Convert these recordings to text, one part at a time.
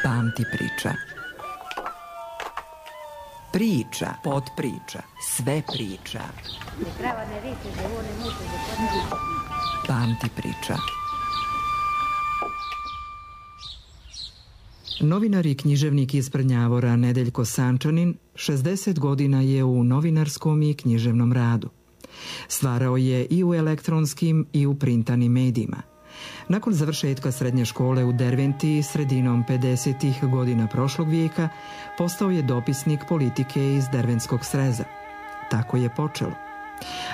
Pamti priča. Priča, podpriča, sve priča. Pamti priča. Novinar i književnik iz Prnjavora Nedeljko Sančanin 60 godina je u novinarskom i književnom radu. Stvarao je i u elektronskim i u printanim medijima. Nakon završetka srednje škole u Derventi sredinom 50. godina prošlog vijeka postao je dopisnik politike iz Derventskog sreza. Tako je počelo.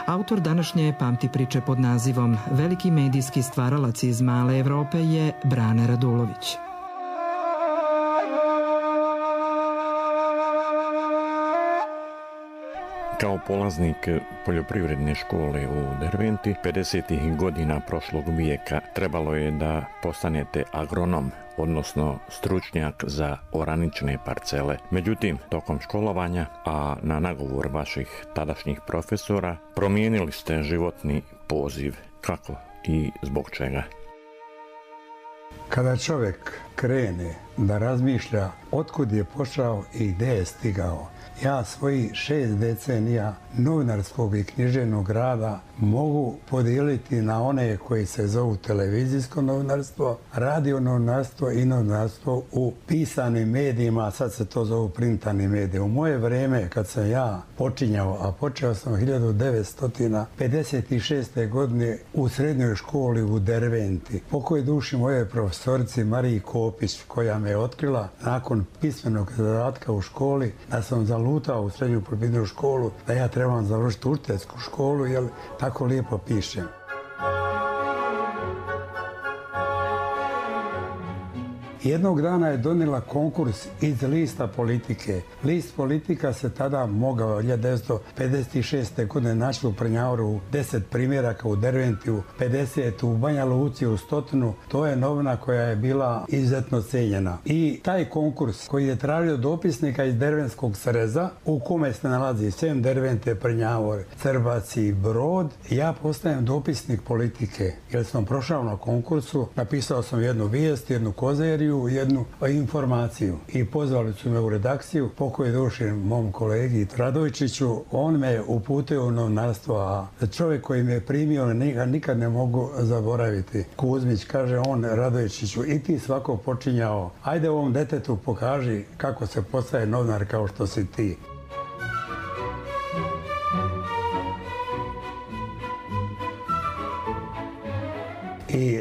Autor današnje Pamti priče pod nazivom Veliki medijski stvaralac iz male Evrope je Brane Radulović. Kao polaznik poljoprivredne škole u Derventi 50. godina prošlog vijeka trebalo je da postanete agronom, odnosno stručnjak za oranične parcele. Međutim, tokom školovanja, a na nagovor vaših tadašnjih profesora, promijenili ste životni poziv. Kako i zbog čega? Kada čovjek krene da razmišlja otkud je pošao i gdje je stigao, ja svojih 6 decenija novinarskog i književnog rada mogu podijeliti na one koji se zovu televizijsko novinarstvo, radio novinarstvo i novinarstvo u pisanim medijima, a sad se to zovu printani mediji. U moje vrijeme, kad sam ja počinjao, a počeo sam 1956. godine u srednjoj školi u Derventi, pokoj duši moje profesorici Mariji Kopić, koja me je otkrila nakon pismenog zadatka u školi da sam zalutao u srednju poljoprivrednu školu, da ja trebam završiti učiteljsku školu, jer tako lijepo pišem. Jednog dana je donijela konkurs iz lista politike. List politika se tada mogao 1956. godine našli u Prnjavoru 10 primjeraka, u Derventiju 50, u Banja Luci u 100. To je novina koja je bila izuzetno cijenjena. I taj konkurs koji je tražio dopisnika iz Derventskog sreza, u kome se nalazi sem Dervente, Prnjavor, Crbac i Brod, ja postajem dopisnik politike. Jer sam prošao na konkursu, napisao sam jednu vijest, jednu kozeriju, jednu informaciju i pozvali su me u redakciju, pokoj duši mom kolegi Radovičiću. On me uputio u novinarstvo, a čovjek koji me je primio nikad ne mogu zaboraviti. Kuzmić, kaže on Radovičiću, i ti svako počinjao, ajde ovom detetu pokaži kako se postaje novinar kao što si ti. I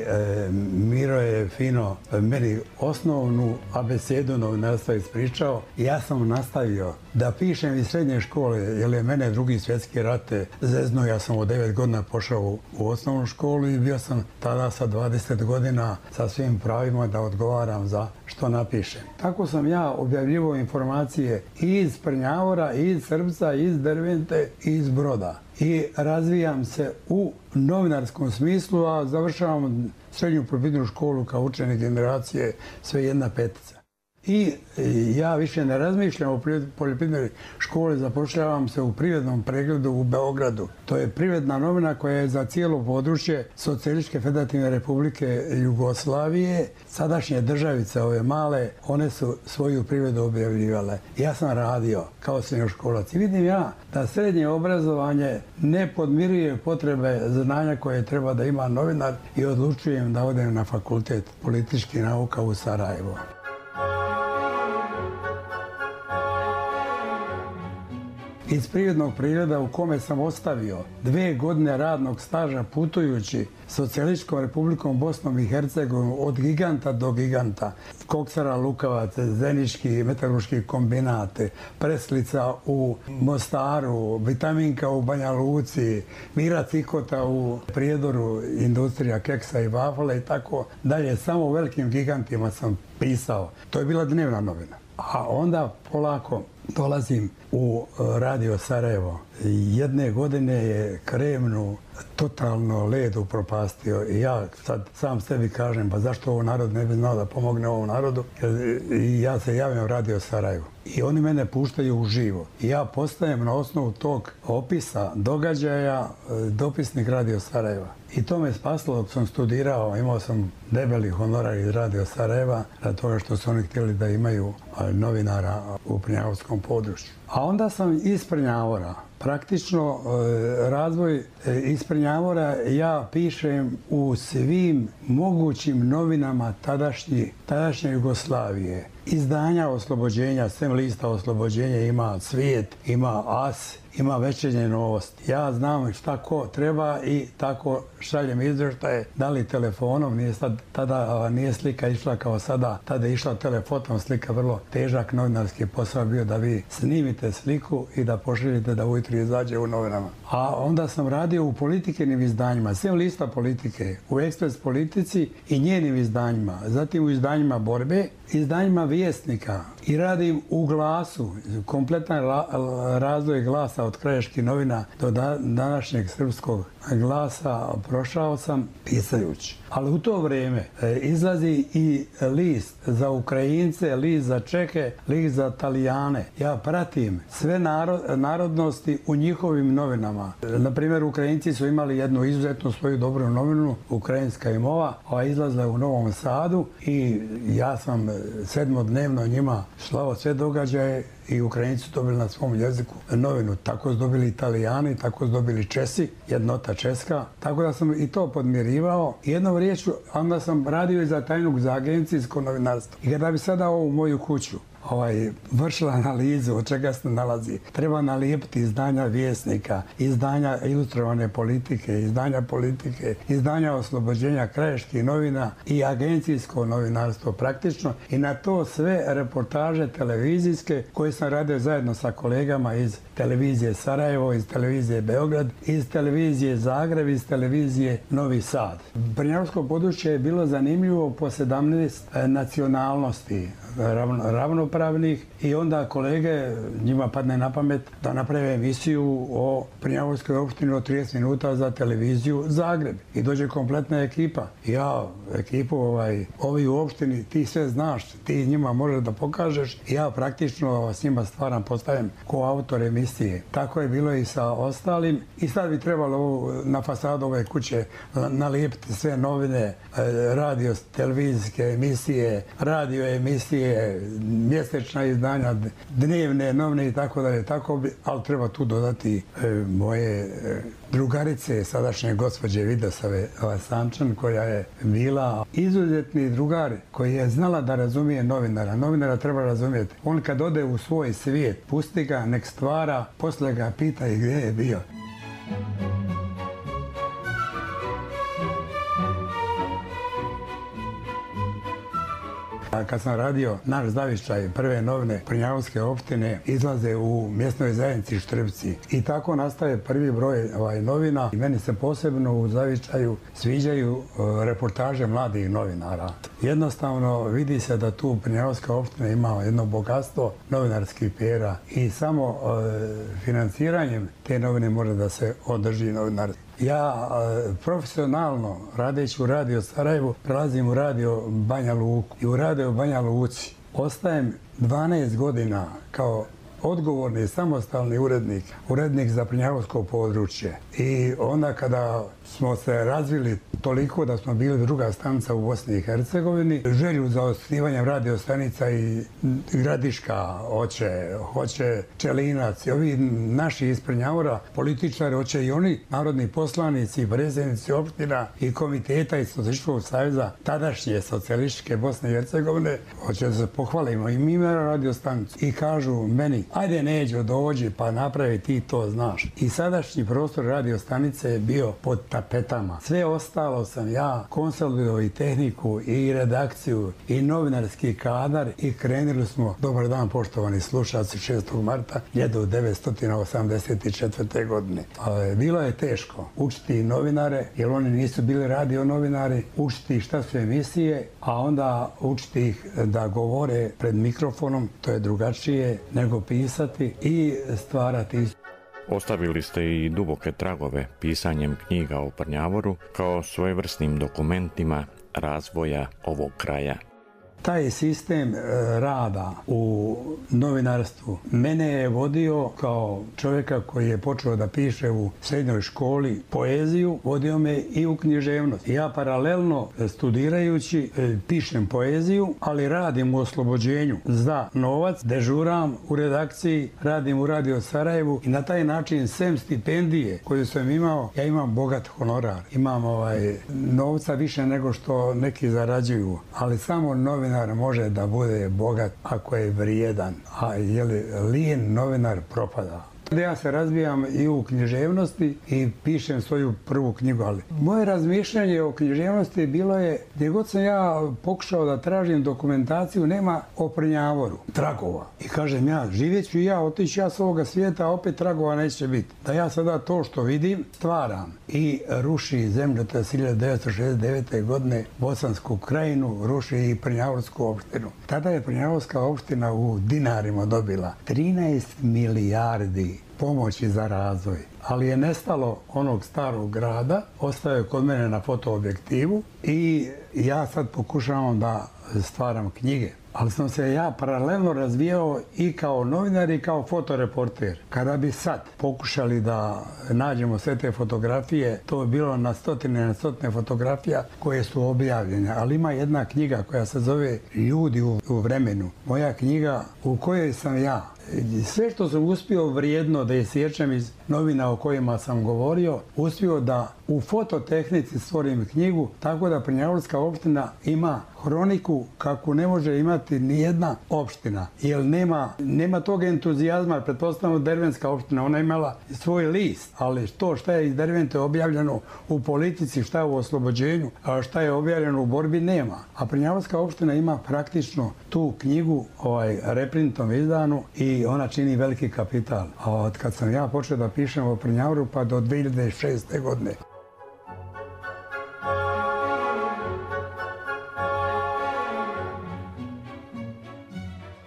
Miro je fino meni osnovnu abecedu novinarstva ispričao i ja sam nastavio da pišem iz srednje škole, jer je mene Drugi svjetski rat zeznuo. Ja sam od 9 godina pošao u osnovnu školu i bio sam tada sa 20 godina sa svim pravima da odgovaram za što napišem. Tako sam ja objavljivao informacije i iz Prnjavora, i iz Srbca, i iz Dervente, i iz Broda. I razvijam se u novinarskom smislu, a završavam srednju poljoprivrednu školu kao učenik generacije sve jedna petica. I ja više ne razmišljam o poljoprivrednoj školi, zapošljavam se u privrednom pregledu u Beogradu. To je privredna novina koja je za cijelo područje Socijalističke federativne republike Jugoslavije. Sadašnje državice, ove male, one su svoju privredu objavljivale. Ja sam radio kao srednjoškolac i vidim ja da srednje obrazovanje ne podmiruje potrebe znanja koje treba da ima novinar i odlučujem da odem na fakultet političkih nauka u Sarajevo. Iz privrednog pregleda u kome sam ostavio 2 godine radnog staža putujući Socijalističkom republikom Bosnom i Hercegovinom od giganta do giganta, Koksara Lukavac, Zenički metalurški kombinat, Preslica u Mostaru, Vitaminka u Banja Luci, Mira Cikota u Prijedoru, industrija keksa i vafla i tako dalje. Samo u velikim gigantima sam pisao. To je bila dnevna novina. A onda polako dolazim u Radio Sarajevo. Jedne godine je kremnu totalno led upropastio i ja sad sam sebi kažem, pa zašto ovo narod ne bi znao da pomogne ovom narodu? I ja se javljam Radio Sarajevo i oni mene puštaju uživo i ja postajem na osnovu tog opisa događaja dopisnik Radio Sarajeva. I to me spasilo dok sam studirao, imao sam debeli honorar iz Radio Sarajeva radi toga što su oni htjeli da imaju novinara u prnjavorskom području. A onda sam iz Prnjavora, praktično razvoj iz Prnjavora ja pišem u svim mogućim novinama tadašnje Jugoslavije. Izdanja Oslobođenja, sem lista Oslobođenja ima Svijet, ima As, ima Večernje Novosti. Ja znam šta ko treba i tako šaljem izvještaje, da li telefonom, tada nije slika išla kao sada, tada je išla telefotom slika, vrlo težak novinarski posao bio da vi snimite sliku i da pošaljete da ujutro izađe u novinama. A onda sam radio u Politikinim izdanjima, sem lista Politike, u Ekspres Politici i njenim izdanjima, zatim u izdanjima Borbe, izdanjima Vjesnika i radim u Glasu, kompletan razvoj Glasa od krajiških novina do današnjeg srpskog Glasa prošao sam pisajući. Ali u to vrijeme izlazi i list za Ukrajince, list za Čehe, list za Talijane. Ja pratim sve narodnosti u njihovim novinama. Naprimjer, Ukrajinci su imali jednu izuzetno svoju dobru novinu, Ukrajinska imova, koja izlazila u Novom Sadu i ja sam sedmodnevno njima slao sve događaje i Ukrajinci su dobili na svom jeziku novinu. Tako su dobili Italijani, tako su dobili Česi, jednota Česka. Tako da sam i to podmirivao. Jednom riječju, onda sam radio i za agencijsko novinarstvo. I kada bi sada ovu moju kuću vršila analizu od čega se nalazi, treba nalijepiti izdanja Vjesnika, izdanja Ilustrovane politike, izdanja Oslobođenja krajiških novina i agencijsko novinarstvo praktično i na to sve reportaže televizijske koje sam radio zajedno sa kolegama iz televizije Sarajevo, iz televizije Beograd, iz televizije Zagreb, iz televizije Novi Sad. Prnjavsko područje je bilo zanimljivo po 17 nacionalnosti ravnopravnih i onda kolege, njima padne na pamet da naprave emisiju o Prnjavorskoj opštini od 30 minuta za televiziju Zagreb i dođe kompletna ekipa. Ja ekipu ovi u opštini, ti sve znaš, ti njima možeš da pokažeš i ja praktično s njima stvaram, postavim ko autor emisije. Tako je bilo i sa ostalim i sad bi trebalo na fasadu ove kuće nalijepiti sve novine, radio, televizijske emisije, radio emisije, mjesečna izdanja, dnevne novine i tako dalje, ali treba tu dodati moje drugarice, sadašnje gospođe Vidosave Sančan, koja je bila izuzetni drugar, koji je znala da razumije novinara. Novinara treba razumijeti. On kad ode u svoj svijet, pusti ga, nek stvara, posle ga pita i gdje je bio. Kad sam radio naš zavičaj, prve novine Prnjavske opštine izlaze u mjesnoj zajednici Štrbci i tako nastaje prvi broj novina. I meni se posebno u zavičaju sviđaju reportaže mladih novinara. Jednostavno vidi se da tu Prnjavska opština ima jedno bogatstvo novinarskih pera i samo financiranjem te novine može da se održi novinarstvo. Ja profesionalno, radeći u Radio Sarajevu, prelazim u Radio Banja Luku i u Radio Banja Luci ostajem 12 godina kao odgovorni, samostalni urednik za Prnjavsko područje. I onda kada smo se razvili toliko da smo bili druga stanica u Bosni i Hercegovini, želju za osnivanjem radio stanica i Gradiška hoće Čelinac i ovi naši iz Prnjavora, političari, hoće i oni, narodni poslanici, predsjednici opština i komiteta iz Socijalističkog saveza tadašnje socijalističke Bosne i Hercegovine, hoće da se pohvalimo i mi imamo radio stanicu i kažu meni, ajde Neđo dođi pa napravi ti to znaš. I sadašnji prostor radio stanice je bio pod tapetama. Sve ostalo sam ja konsolidovao i tehniku i redakciju i novinarski kadar i krenuli smo, dobar dan poštovani slušalci, 6. marta 1984. godine. Bilo je teško učiti novinare, jer oni nisu bili radio novinari, učiti šta su emisije, a onda učiti ih da govore pred mikrofonom, to je drugačije nego pisati i stvarati. Ostavili ste i duboke tragove pisanjem knjiga o Prnjavoru kao svojevrsnim dokumentima razvoja ovog kraja. Taj sistem rada u novinarstvu mene je vodio kao čovjeka koji je počeo da piše u srednjoj školi poeziju, vodio me i u književnost. Ja paralelno studirajući pišem poeziju, ali radim u Oslobođenju za novac, dežuram u redakciji, radim u Radio Sarajevu i na taj način sem stipendije koju sam imao, ja imam bogat honorar. Imam novca više nego što neki zarađuju, ali samo novinar može da bude bogat ako je vrijedan, a lijen novinar propada. Ja se razvijam i u književnosti i pišem svoju prvu knjigu, ali moje razmišljanje o književnosti bilo je, gdje god sam ja pokušao da tražim dokumentaciju, nema o Prnjavoru, tragova. I kažem ja, živjet ću ja, otići ja s ovoga svijeta, a opet tragova neće biti. Da ja sada to što vidim, stvaram i ruši zemljotres 1969. godine Bosansku krajinu, ruši i Prnjavorsku opštinu. Tada je Prnjavorska opština u dinarima dobila 13 milijardi pomoći za razvoj. Ali je nestalo onog starog grada, ostao je kod mene na fotoobjektivu i ja sad pokušavam da stvaram knjige. Ali sam se ja paralelno razvijao i kao novinar i kao fotoreporter. Kada bi sad pokušali da nađemo sve te fotografije, to je bilo na stotine fotografija koje su objavljene. Ali ima jedna knjiga koja se zove Ljudi u vremenu. Moja knjiga u kojoj sam ja. Sve što sam uspio vrijedno da isječem iz novina o kojima sam govorio, uspio da u fototehnici stvorim knjigu, tako da Prnjavorska opština ima hroniku kakvu ne može imati ni jedna opština. Jer nema tog entuzijazma, pretpostavljamo Dervenska opština, ona je imala svoj list, ali to šta je iz Dervente objavljeno u politici, šta je u Oslobođenju, a šta je objavljeno u borbi, nema. A Prnjavorska opština ima praktično tu knjigu reprintom izdanu i ona čini veliki kapital. A od kad sam ja počeo da pišem o Prnjavoru pa do 2006. godine.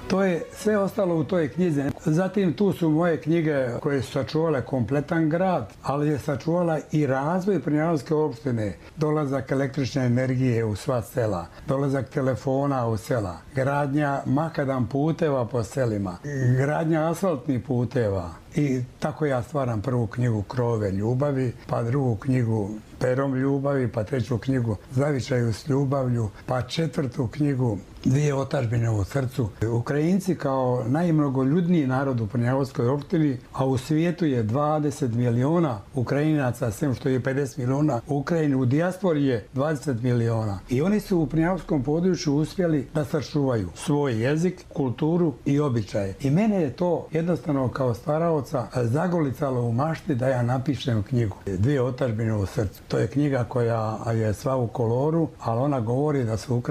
To je sve ostalo u toj knjizi. Zatim tu su moje knjige koje su sačuvale kompletan grad, ali je sačuvala i razvoj Prnjavorske opštine. Dolazak električne energije u sva sela, dolazak telefona u sela, gradnja makadam puteva po selima, gradnja asfaltnih puteva. I tako ja stvaram prvu knjigu Krove ljubavi, pa drugu knjigu Perom ljubavi, pa treću knjigu Zavičaju s ljubavlju, pa četvrtu knjigu Dvije otadžbine u srcu. Ukrajinci kao najmnogoljudniji narod u Prnjavorskoj opštini, a u svijetu je 20 miliona Ukrajinaca, sem što je 50 miliona u Ukrajini, u dijaspori je 20 miliona. I oni su u Prnjavorskom području uspjeli da sačuvaju svoj jezik, kulturu i običaje. I mene je to jednostavno kao stvaraoca zagolicalo u mašti da ja napišem knjigu Dvije otadžbine u srcu. To je knjiga koja je sva u koloru, ali ona govori da su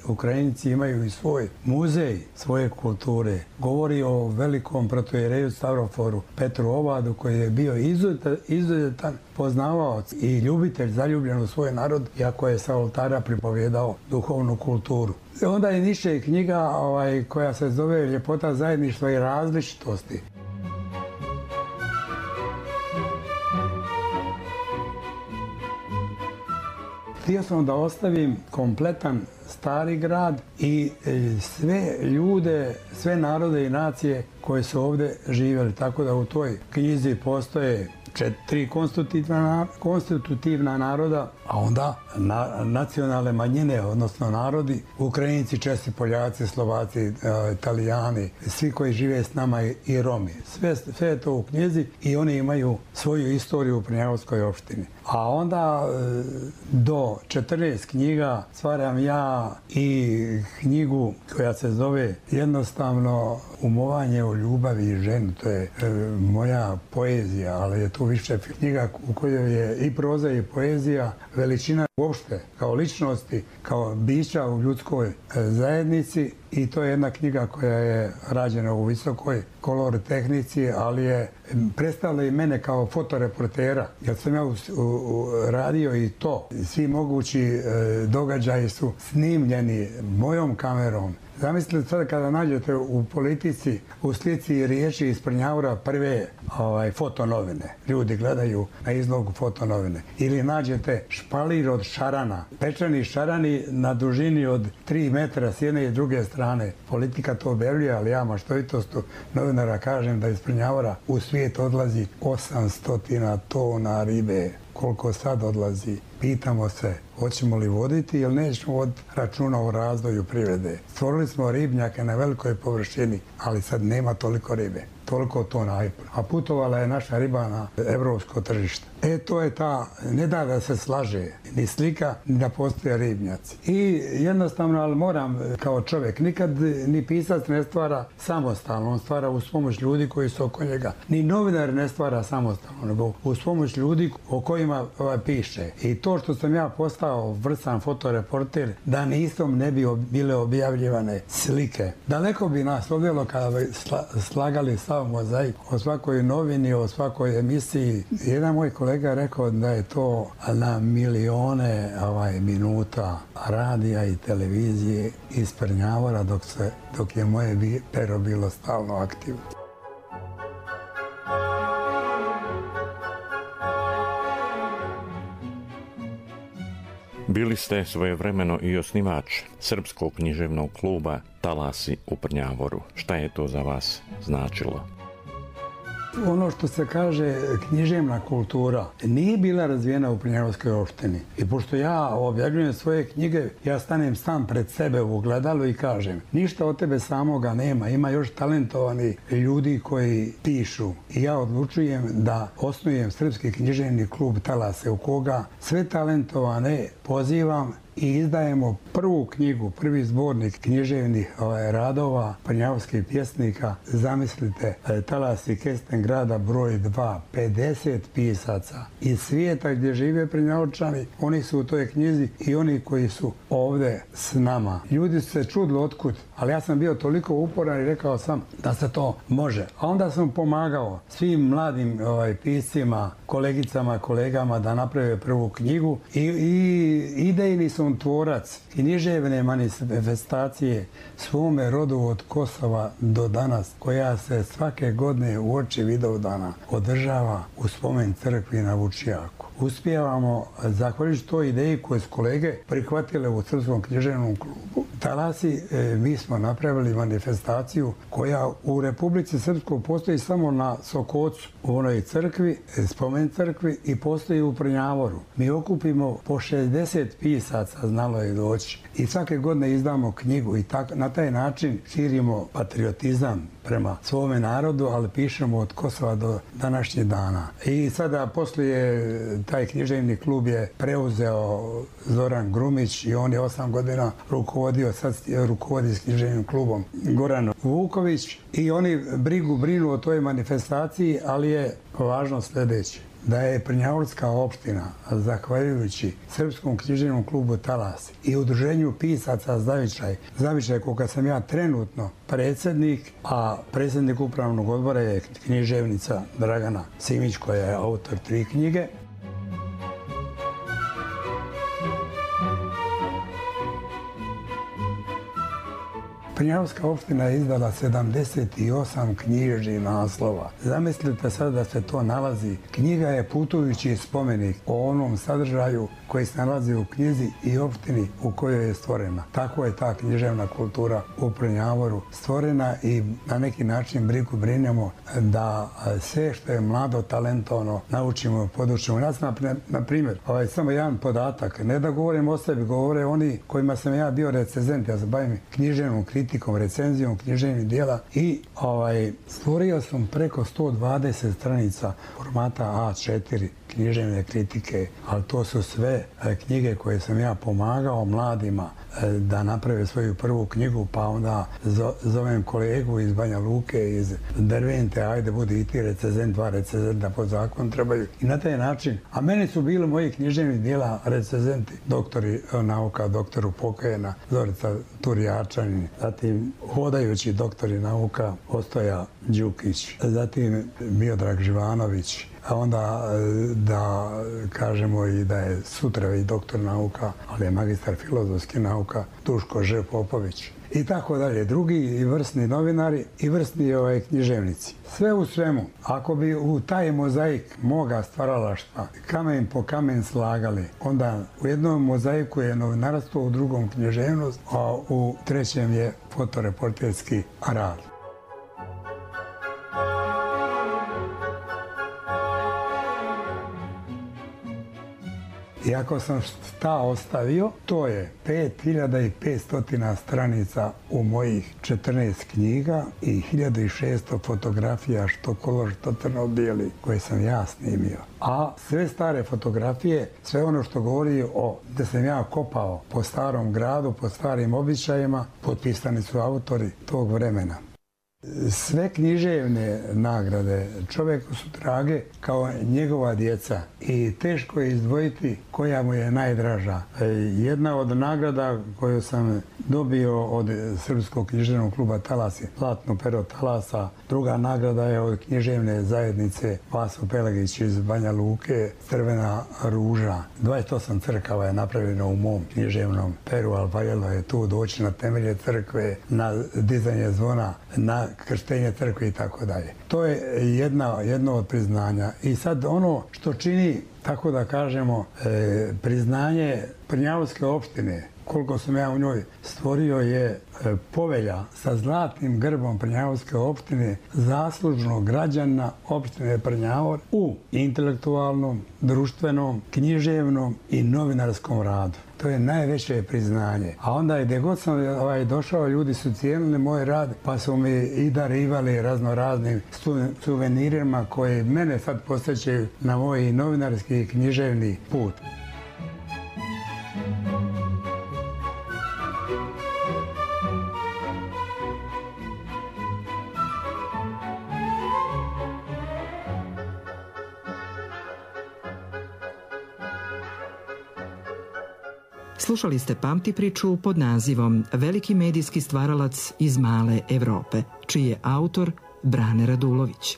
Ukrajinci imaju i svoj muzej svoje kulture. Govori o velikom protoijereju Stavroforu Petru Ovadu koji je bio izuzetan poznavaoc i ljubitelj, zaljubljen u svoj narod, iako je sa oltara pripovjedao duhovnu kulturu. Onda je Niše knjiga koja se zove Ljepota zajedništva i različitosti. Htio sam da ostavim kompletan stari grad i sve ljude, sve narode i nacije koje su ovdje živjeli. Tako da u toj knjizi postoje 4 konstitutivna naroda, a onda nacionalne manjine, odnosno narodi, Ukrajinci, Česi, Poljaci, Slovaci, Italijani, svi koji žive s nama i Romi. Sve je to u knjizi i oni imaju svoju istoriju u Prnjavorskoj opštini. A onda do 14 knjiga stvaram ja i knjigu koja se zove jednostavno Umovanje o ljubavi i ženi. To je moja poezija, ali je tu više knjiga u kojoj je i proza i poezija, veličina uopšte kao ličnosti, kao bića u ljudskoj zajednici. I to je jedna knjiga koja je rađena u visokoj kolor tehnici, ali je predstavila i mene kao fotoreportera, jer sam ja radio i to. Svi mogući događaji su snimljeni mojom kamerom Zamislite sad kada nađete u politici, u slici i riječi iz Prnjavora prve fotonovine. Ljudi gledaju na izlogu fotonovine. Ili nađete špalir od šarana, pečeni šarani na dužini od 3 metra s jedne i druge strane. Politika to objavljuje, ali ja maštovitostu novinara kažem da iz Prnjavora u svijet odlazi 800 tona ribe. Koliko sad odlazi? Pitamo se, hoćemo li voditi ili nećemo voditi računa o razvoju privrede. Stvorili smo ribnjake na velikoj površini, ali sad nema toliko ribe. Toliko tona, a putovala je naša riba na evropsko tržište. To je ta, ne da se slaže ni slika, ni da postoje ribnjaci. I jednostavno, ali moram kao čovjek, nikad ni pisac ne stvara samostalno, on stvara uz pomoć ljudi koji su oko njega. Ni novinar ne stvara samostalno, nego uz pomoć ljudi o kojima piše. I to što sam ja postao vrsan fotoreporter, da nisam ne bi bile objavljivane slike. Daleko bi nas odvelo kada bi slagali sav mozaik o svakoj novini, o svakoj emisiji. Jedan moj kolega je rekao da je to na milione minuta radija i televizije iz Prnjavora dok je moje pero bilo stalno aktivno. Bili ste svojevremeno i osnivač Srpskog književnog kluba Talasi u Prnjavoru. Šta je to za vas značilo? Ono što se kaže književna kultura nije bila razvijena u Prnjavorskoj opštini. I pošto ja objavljujem svoje knjige, ja stanem sam pred sebe u ogledalu i kažem ništa od tebe samoga nema, ima još talentovani ljudi koji pišu. I ja odlučujem da osnujem Srpski književni klub Talase u koga sve talentovane pozivam i izdajemo prvu knjigu, prvi zbornik književnih radova prnjavorskih pjesnika. Zamislite, Talasi Kesten grada broj 2, 50 pisaca iz svijeta gdje žive Prnjavorčani, oni su u toj knjizi i oni koji su ovdje s nama. Ljudi su se čudili otkud, ali ja sam bio toliko uporan i rekao sam da se to može. A onda sam pomagao svim mladim piscima, kolegicama, kolegama da naprave prvu knjigu i idejni sam tvorac književne manifestacije svome rodu od Kosova do danas, koja se svake godine uoči Vidovdana održava u spomen crkvi na Vučijaku. Uspijevamo, zahvaljujući toj ideji koje su kolege prihvatile u Srpskom književnom klubu Talasi, mi smo napravili manifestaciju koja u Republici Srpskoj postoji samo na Sokocu, u onoj crkvi, spomen crkvi, i postoji u Prnjavoru. Mi okupimo po 60 pisaca, znalo je doći, i svake godine izdamo knjigu i na taj način širimo patriotizam prema svome narodu, ali pišemo od Kosova do današnjih dana. I sada poslije taj književni klub je preuzeo Zoran Grumić i on je 8 godina rukovodio, sad rukovodi s književnim klubom Goran Vuković, i oni brinu o toj manifestaciji, ali je važno sljedeće. Da je Prnjavorska opština, zahvaljujući Srpskom književnom klubu Talasi i udruženju pisaca Zavičaj koga sam ja trenutno predsjednik, a predsjednik upravnog odbora je književnica Dragana Simić koja je autor 3 knjige. Prnjavorska opština je izdala 78 knjižnih naslova. Zamislite sad da se to nalazi. Knjiga je putujući spomenik o onom sadržaju koji se nalazi u knjizi i opštini u kojoj je stvorena. Tako je ta književna kultura u Prnjavoru stvorena i na neki način brinemo da sve što je mlado, talentovano naučimo i podučimo. Ja sam, na primjer, samo jedan podatak, ne da govorim o sebi, govore oni kojima sam ja bio recenzent, ja se bavim književnom kritikom, recenzijom književnih dijela i stvorio sam preko 120 stranica formata A4 književne kritike, ali to su sve knjige koje sam ja pomagao mladima da naprave svoju prvu knjigu, pa onda zovem kolegu iz Banja Luke, iz Dervente, ajde budi i ti recenzent, 2 recenzenta po zakonu trebaju. I na taj način, a meni su bili moji književni dijela recenzenti, doktori nauka, doktoru Pokajena, Zorica Turjačanin, zatim hodajući doktori nauka Ostoja Đukić, zatim Miodrag Živanović, a onda da kažemo i da je sutra i doktor nauka, ali je magistar filozofskih nauka Duško Ž. Popović. I tako dalje. Drugi i vrsni novinari i vrsni književnici. Sve u svemu, ako bi u taj mozaik moga stvaralaštva kamen po kamen slagali, onda u jednom mozaiku je novinarstvo, u drugom književnost, a u trećem je fotoreporterski rad. I ako sam šta ostavio, to je 5500 stranica u mojih 14 knjiga i 1600 fotografija, što kolor, što crno-bijeli, koje sam ja snimio. A sve stare fotografije, sve ono što govori o da sam ja kopao po starom gradu, po starim običajima, potpisani su autori tog vremena. Sve književne nagrade čovjeku su drage kao njegova djeca i teško je izdvojiti koja mu je najdraža. Jedna od nagrada koju sam dobio od Srpskog književnog kluba Talas je Zlatno pero Talasa. Druga nagrada je od književne zajednice Vaso Pelegić iz Banja Luke, Crvena ruža. 28 crkava je napravljeno u mom književnom peru, ali valjalo je tu doći na temelje crkve, na dizanje zvona, na krštenje crkve i tako dalje. To je jedno od priznanja. I sad ono što čini, tako da kažemo, priznanje Prnjavske opštine, koliko sam ja u njoj stvorio, je povelja sa zlatnim grbom Prnjavske opštine zaslužnog građana opštine Prnjavor u intelektualnom, društvenom, književnom i novinarskom radu. To je najveće priznanje. A onda gdje god sam došao, ljudi su cijenili moj rad, pa su mi i darivali raznoraznim suvenirima koje mene sad posjećaju na moj novinarski i književni put. Slušali ste Pamti priču pod nazivom Veliki medijski stvaralac iz male Evrope, čiji je autor Brane Radulović.